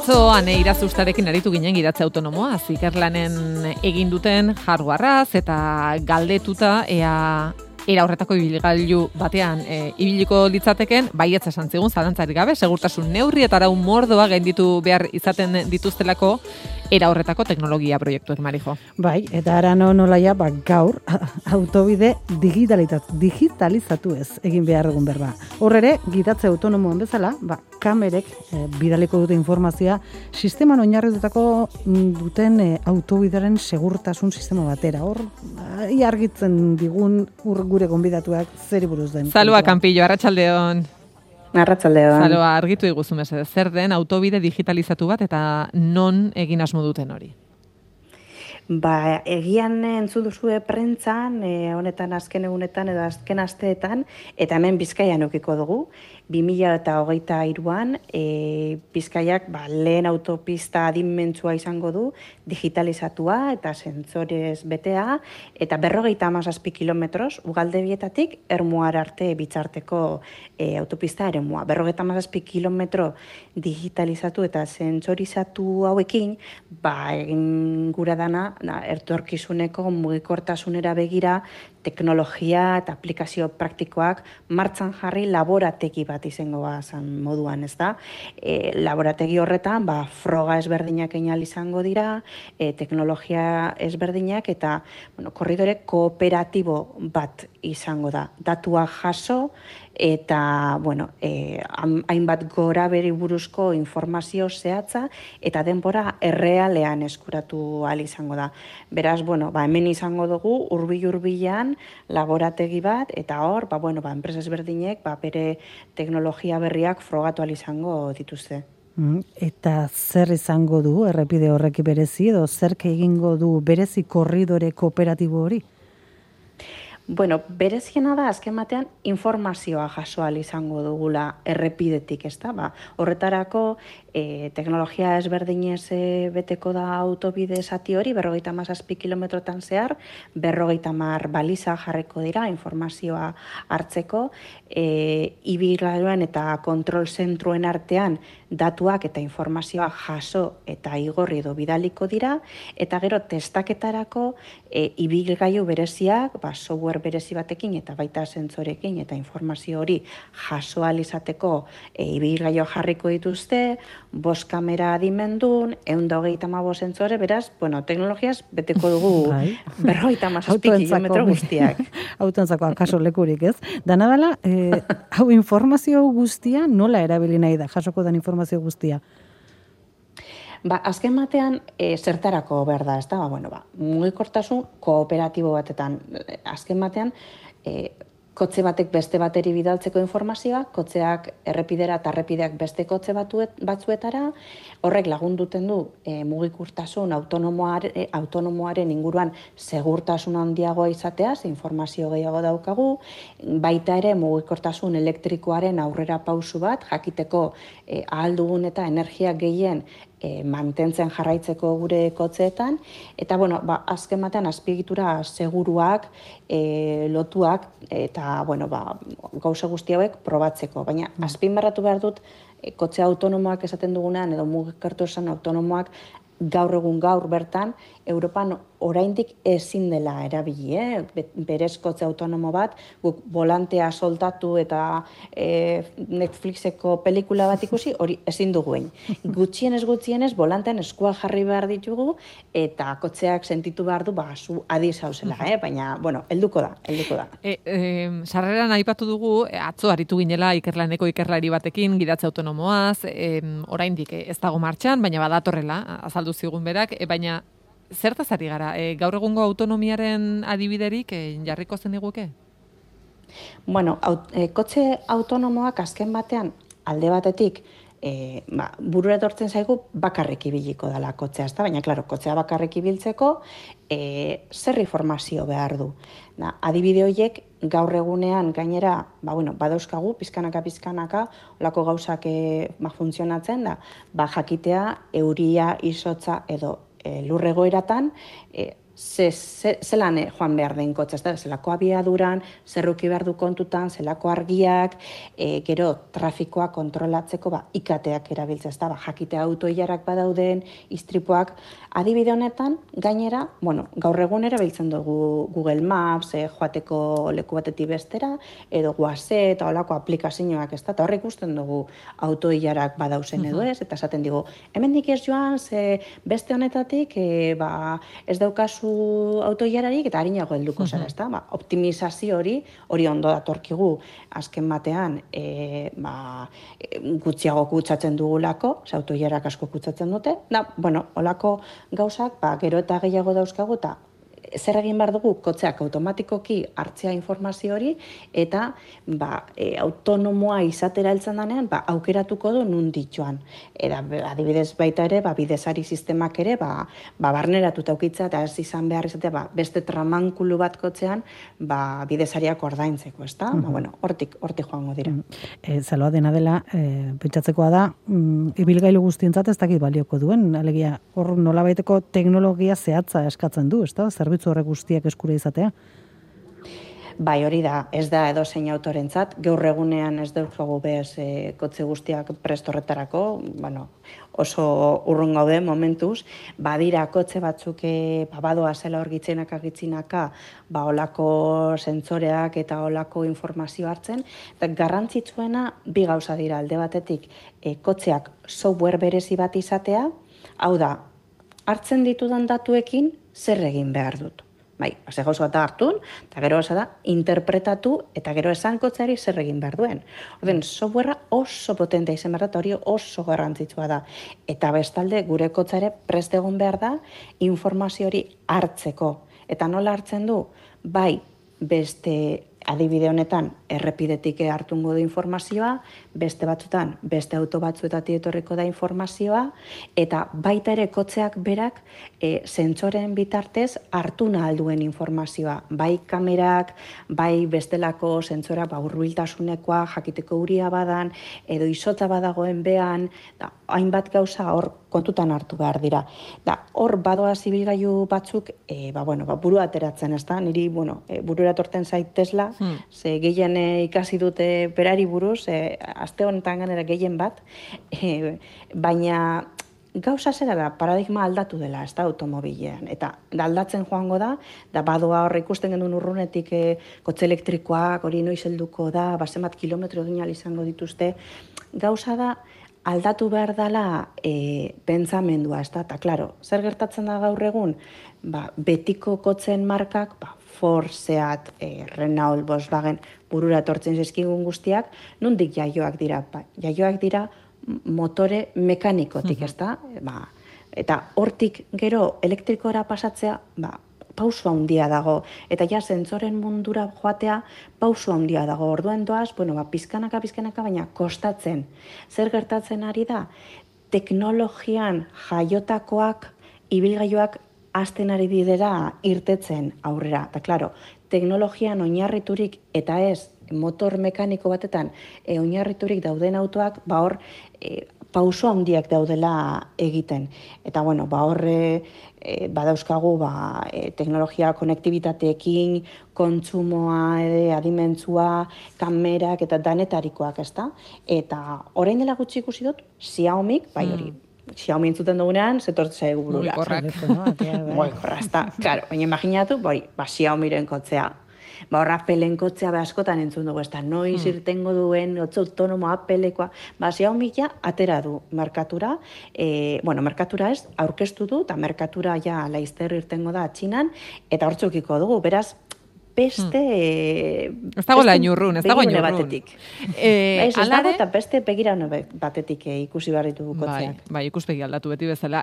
Atzo ane irazustarekin aritu ginen gidatze autonomoa, ikerlanen egin duten hardwareaz eta galdetuta era horretako ibilgailu batean ibiliko litzateken, baietz esan zigun zalantzarik gabe, segurtasun neurri eta arau mordoa gainditu behar izaten dituztelako era horretako teknologia proiektuek, Marijo. Bai, eta ara nolaia, gaur autobide digitalizatu ez egin behar dugun berba. Horrere, gidatze autonomoan bezala, kamerek bidaliko dute informazioa sisteman oinarritutako duten autobideren segurtasun sistema batera. Hor, argitzen digun gure gonbidatuak zeri buruz den. Salua, Campillo, arratsaldeon. Arratsaldeon. Salua, argitu iguzu mesedez, zer den autobide digitalizatu bat eta non egin asmo duten hori? Egian entzun duzue prentzan, honetan azken egunetan edo azken asteetan, eta hemen Bizkaian edukiko dugu. 2023an Bizkaiak lehen autopista adimentsua izango du, digitalizatua eta sentzorez betea, eta 57 kilometros Ugaldebietatik Ermuar arte bitzarteko autopista eremua. 57 kilometro digitalizatu eta sentzorizatu hauekin, egin gura dana, etorkizuneko mugikortasunera begira, teknologia eta aplikazio praktikoak martxan jarri laborategi bat izango zan moduan, ez da? Laborategi horretan, froga ezberdinak einal izango dira, teknologia ezberdinak eta korridore kooperatibo bat izango da. Datuak jaso eta hainbat gora beri buruzko informazio zehatza eta denbora errealean eskuratu ahal izango da. Beraz, hemen izango dugu hurbil-hurbilean laborategi bat eta hor, enpresa ezberdinek bere teknologia berriak frogatu ahal izango dituzte. Eta zer izango du errepide horreki berezi edo zerk egingo du berezi korridore kooperatibo hori? Bereziena da, azken batean, informazioa jaso ahal izango dugula errepidetik, ez da? Horretarako, teknologia ezberdinez beteko da autobide zati hori, 57 kilometrotan zehar, 50 baliza jarriko dira informazioa hartzeko, ibilgailuen eta kontrol zentruen artean datuak eta informazioa jaso eta igorri edo bidaliko dira, eta gero testaketarako ibilgailu bereziak, software berezi batekin eta baita sentzorekin eta informazio hori jaso ahal izateko ibilgailuak jarriko dituzte, 5 kamera adimendun, 125 sentzore, beraz, teknologiaz beteko dugu 57 kilometro guztiak. Autontzako akaso lekurik, ez? Dana dela, hau informazio guztia nola erabili nahi da, jasoko den informazio guztia? Azken batean, zertarako behar da, ez da? Mugikortasun kooperatibo batetan. Azken batean, kotxe batek beste bateri bidaltzeko informazioa, kotxeak errepidera eta errepideak beste kotxe batzuetara, horrek lagunduten du mugikortasun autonomoaren inguruan segurtasun handiagoa izatea, informazio gehiago daukagu, baita ere mugikortasun elektrikoaren aurrera pausu bat, jakiteko ahal dugun eta energia gehien mantentzen jarraitzeko gure kotxeetan, eta azken batean azpiegitura seguruak, lotuak, eta gauza guzti hauek probatzeko. Baina azpimarratu behar dut, kotxe autonomoak esaten dugunean, edo mugikortasun autonomoak gaur bertan, Europan oraindik ezin dela erabili, berez kotxe autonomo bat, guk volantea soltatu eta Netflixeko pelikula bat ikusi, hori ezin duguen. Gutxienez, volantean eskua jarri behar ditugu, eta kotxeak sentitu behar du, zu adi zauzela, baina, helduko da. Sarreran aipatu dugu, atzo aritu ginela ikerlaneko ikerlari batekin, gidatze autonomoaz, oraindik ez dago martxan, baina badatorrela, azaldu zigun berak, baina zertaz ari gara? Gaur egungo autonomiaren adibiderik jarriko zen iguke? Kotxe autonomoak azken batean alde batetik burura etortzen zaigu bakarrik ibiliko dela kotxea, baina, kotxea bakarrik ibiltzeko zer informazio behar du. Adibide horiek gaur egunean gainera, badauzkagu, pizkanaka, olako gauzak funtzionatzen da, jakitea euria, izotza edo lurregoeratan zelan joan behar den kotxe, zelako abiaduran, zerruki behar du kontutan, zelako argiak, gero trafikoa kontrolatzeko ikateak erabiltzea, jakite autoilarak badauden, istripuak, adibide honetan, gainera, gaur egun erabiltzen dugu Google Maps, joateko leku batetik bestera, edo Waze eta olako aplikazioak, eta horrek ikusten dugu autoilarak badauzen edo ez, eta esaten digu, hemendik ez joan, ze beste honetatik, ez daukazu autoilararik eta harinago helduko zara, ezta? Optimizazio hori ondo datorkigu azken batean, gutxiago kutsatzen dugulako, autoilarak asko kutsatzen dute. Holako gauzak, gero eta gehiago dauzkagu eta zer egin behar dugu kotxeak automatikoki hartzea informazio hori eta autonomoa izatera heltzen denean aukeratuko du nondik joan. Adibidez baita ere, bidezari sistemak ere barneratuta aukitza eta ez izan behar izatea beste tramankulu bat kotxean bidezariak ordaintzeko, ezta? Hortik joango dira. Zaloa dena dela, pentsatzekoa da, ibilgailu guztientzat ez dakit balioko duen, alegia hor nolabaiteko teknologia zehatza eskatzen du, ezta? Zerbitzu horrek guztiak eskura izatea? Bai, hori da, ez da edozein autorentzat, gaur egunean ez daukagu bez kotxe guztiak prest horretarako, oso urrun gaude momentuz, badira kotxe batzuk badoa zela horgitzenaka gitzinaka, olako sentsoreak eta olako informazio hartzen, eta garrantzitsuena bi gauza dira alde batetik, kotxeak software berezi bat izatea, hau da, hartzen ditudan datuekin zer egin behar dut. Ze gauza bat hartu, eta gero da, interpretatu, eta gero esan kotxeari zer egin behar duen. Orden, softwarea oso potentea izan behar da, hori oso garrantzitsua da. Eta bestalde, gure kotxeare prest egon behar da, informazio hori hartzeko. Eta nola hartzen du? Beste adibide honetan errepidetik hartungo da informazioa, beste batzutan, beste auto batzuetatik etorriko da informazioa, eta baita ere kotxeak berak sentsoren bitartez hartu nahal duen informazioa. Bai kamerak, bai bestelako sentsorak hurbiltasunekoa, jakiteko uria badan, edo izotza badagoen behan, hainbat gauza hor kontutan hartu behar dira. Hor badoa zibilgailu batzuk, burua ateratzen, ez da? Niri, burura torten zait Tesla, ze gehien ikasi dute berari buruz, aste honetan ganera gehien bat, baina gauza zera da, paradigma aldatu dela, ez da, automobilean. Eta aldatzen joango da badoa hor ikusten genuen urrunetik kotxe elektrikoak, hori noiz helduko da, zenbat kilometro duinal izango dituzte. Gauza da, aldatu behar dela pentsamendua, ez da? Eta, klaro, zer gertatzen da gaur egun? Betiko kotzen markak, Ford, Seat, Renault, Volkswagen, burura etortzen zaizkigun guztiak, nondik jaioak dira? Jaioak dira motore mekanikotik, ez da? Eta hortik gero elektrikora pasatzea, pauso handia dago. Eta ja sentsoren mundura joatea pauso handia dago. Orduan doaz, pizkanaka, baina kostatzen. Zer gertatzen ari da? Teknologian jaiotakoak, ibilgailuak hasten ari dira irtetzen aurrera. Eta, klaro, teknologian oinarriturik eta ez motor mekaniko batetan oinarriturik dauden autoak, hor pauso handiak daudela egiten. Eta, hor badauzkagu teknologia konektibitateekin, kontsumoa, adimentzua, kamerak eta danetarikoak, ezta? Eta orain dela gutxi ikusi dut, Xiaomik, hori, Xiaomi entzuten dugunean, zetortze zaigu burura. Mugikorra, ezta. Claro, baina imaginatu, Xiaomiren kotzea. Horra Appleen kotzea askotan entzun dugu, ezta, noiz irtengo duen, otzo autonomo Applekoa. Xiaomi ja atera du merkatura, merkatura ez, aurkeztu du, eta merkatura ja laizter irtengo da Txinan, eta hortzukiko dugu, beraz, beste... Ez dago lain urrun, ez dago lain urrun. Ez dago eta beste begirane batetik ikusi behar ditugu kotzeak. Bai, ikuspegi aldatu beti bezala.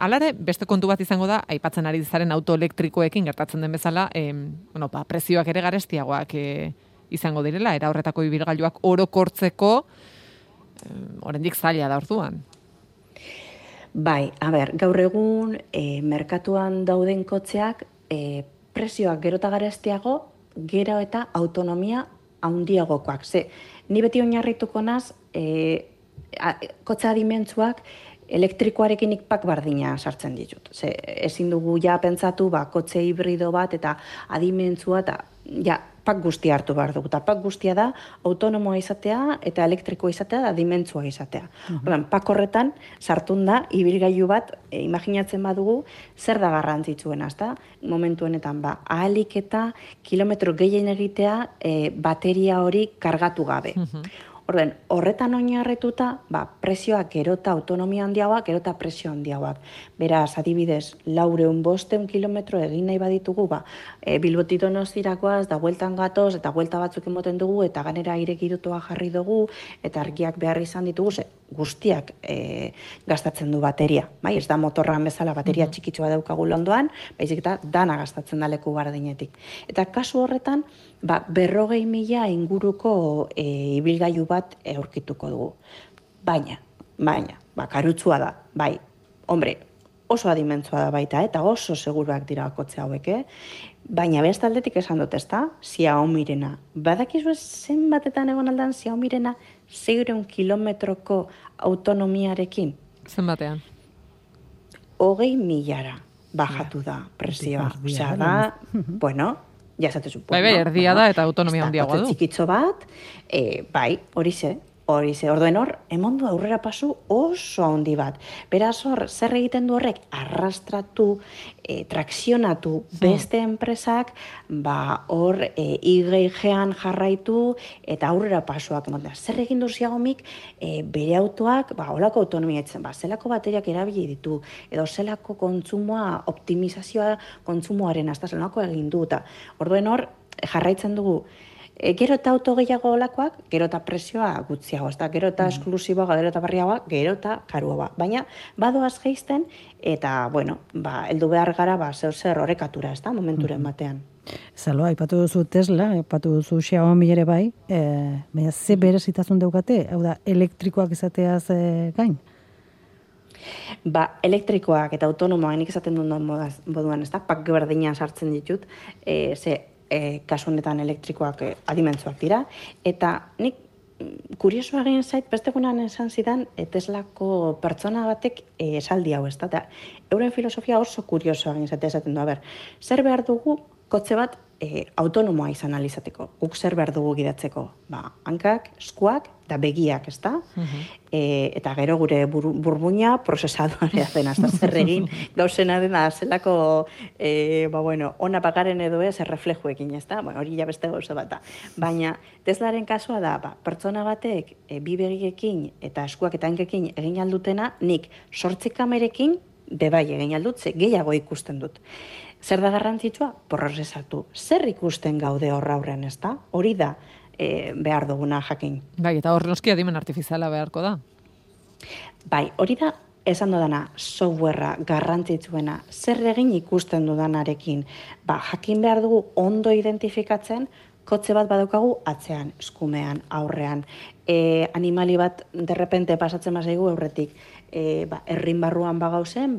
Alare, beste kontu bat izango da, aipatzen ari zaren autoelektrikoekin gertatzen den bezala, prezioak ere garestiagoak izango direla, era horretako ibilgailuak orokortzeko, oraindik zaila da orduan. Bai, gaur egun, merkatuan dauden kotzeak, prezioak gero eta garestiago, gero eta autonomia handiagokoak. Ni beti oinarrituko naz, kotxe adimentsuak elektrikoarekin nik pak bardina sartzen ditut. Ze, ezin dugu ja pentsatu, kotxe hibrido bat eta adimentzua eta ja, pak guztia hartu behar dugu. Eta pak guztia da autonomoa izatea eta elektrikoa izatea da dimentsua izatea. Pak horretan sartun da ibilgailu bat, imaginatzen badugu, zer da garrantzitsuena, ezta? Momentu honetan, ahalik eta kilometro gehien egitea bateria hori kargatu gabe. Horretan oinarrituta, presioak gero eta autonomia handiagoak, gero eta presio handiagoak. Beraz, adibidez, 400-500 kilometro egin nahi baditugu, Bilbotik Donostirakoaz, da bueltan gatoz, eta buelta batzuk emoten dugu, eta ganera aire girotua jarri dugu, eta argiak behar izan ditugu, guztiak gastatzen du bateria. Bai, ez da motorran bezala bateria txikitsua daukagu londoan, baizik eta dana gastatzen da leku bardinetik. Eta kasu horretan, 40.000 inguruko ibilgailu bat aurkituko dugu. Baina, karutzua da, bai, hombre, oso adimentzua da baita, eta oso seguruak dira kotxe hauek, baina beste aldetik esan dut, ezta? Xiaomirena. Badakizu zenbatetan egon aldan Xiaomirena 600 kilometroko autonomiarekin? Zenbatean? 20.000 bajatu da presioa. Osea da, bueno, ja esatezu. Bai, erdia da eta autonomia handiagoa du. Txikitxo bat, bai, horixe, orduen hor, emondu aurrera pasu oso handi bat. Beraz hor, zer egiten du horrek? Arrastratu, trakzionatu beste enpresak, hor IG-an jarraitu eta aurrera pasuak emoten. Zer egin du Xiaomik bere autoak, holako autonomia etzen, zelako bateriak erabili ditu, edo zelako kontsumoa, optimizazioa kontsumoaren, hasta zelako egin du. Orduen hor, jarraitzen dugu, gero eta auto gehiago olakoak, gero eta presioa gutxiago, gero eta esklusiboa, gero eta barriagoa, gero eta karuagoa. Baina, badoaz geizten, eta, bueno, heldu behar gara, zer horrekatura, ez da, momenturen batean. Zaloa, aipatu duzu Tesla, aipatu duzu Xiaomi ere bai, baina ze berezitasun daukate, hau da, elektrikoak izateaz gain? Elektrikoak eta autonomoak nik esaten duen moduan, ez da, pak berdina sartzen ditut, kasu honetan elektrikoak adimentzuak dira, eta nik kuriosoa egin zait, beste egunean esan zidan Teslako pertsona batek esaldi hau, ez da, euren filosofia oso kuriosoa egin zait esaten du, zer behar dugu kotxe bat autonomoa izan alizateko, guk zer behar dugu gidatzeko, hankak, eskuak, eta begiak, ez da? Eta gero gure burbuina prozesadorea dena, ez da zer egin, gauzena dena, zelako, ona pagaren edo ez, erreflejuekin, ez da? Hori ja beste gauza bat da. Baina, Teslaren kasua da, pertsona batek, bi begiekin eta eskuak eta hankekin egin aldutena, nik 8 kamerekin, bebai egin aldut, gehiago ikusten dut. Zer da garrantzitsua? Prozesatu. Zer ikusten gaude horra aurrean, ez da? Hori da behar duguna jakin. Bai, eta hor noski adimen artifiziala beharko da. Bai, hori da esan dudana softwarea garrantzitsuena. Zer egin ikusten dudanarekin? Jakin behar dugu ondo identifikatzen, kotxe bat badaukagu atzean, eskumean, aurrean. Animali bat derrepente pasatzen bazaigu aurretik. Herrin barruan bagauzen,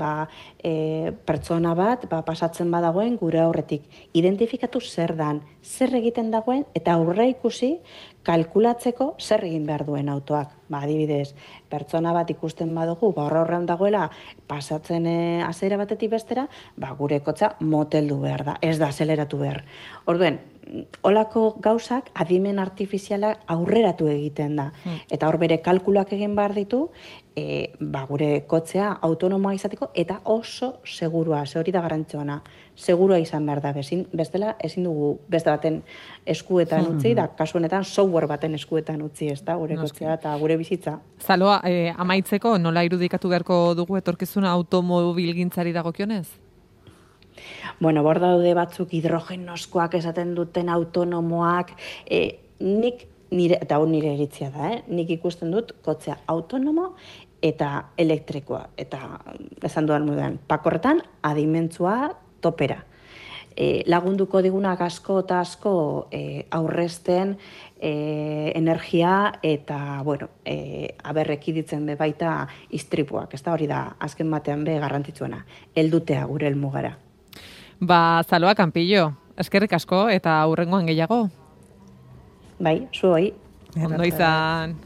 pertsona bat pasatzen badagoen gure aurretik. Identifikatu zer dan, zer egiten dagoen, eta aurre ikusi kalkulatzeko zer egin behar duen autoak. Adibidez, pertsona bat ikusten badugu, horrean dagoela pasatzen azera batetik bestera, gure kotxa moteldu behar da, ez da azeleratu behar. Orduen, olako gauzak adimen artifiziala aurreratu egiten da. Eta hor bere kalkulak egin behar ditu, gure kotzea autonomoa izateko eta oso segurua, hori da garrantzioana, segurua izan behar da. Bestela ezin dugu beste baten eskuetan utzi, da kasu honetan software baten eskuetan utzi, ez da, gure kotzea eta gure bizitza. Zaloa, amaitzeko nola irudikatu beharko dugu etorkizuna automobilgintzari dagokionez? Bueno, bor daude batzuk hidrogenoskoak esaten duten autonomoak, eta hor nire iritzia da, nik ikusten dut kotzea autonomo eta elektrikoa. Eta esan dudan moduan, pakorretan adimentzua topera. Lagunduko digunak asko eta asko aurrezten energia eta, aberrekiditzen be baita istripuak. Ez da hori da, azken batean be garrantzitsuena, heldutea gure helmugara. Zaloa Campillo, eskerrik asko eta hurrengoan gehiago. Bai, zuoi. Ondo izan.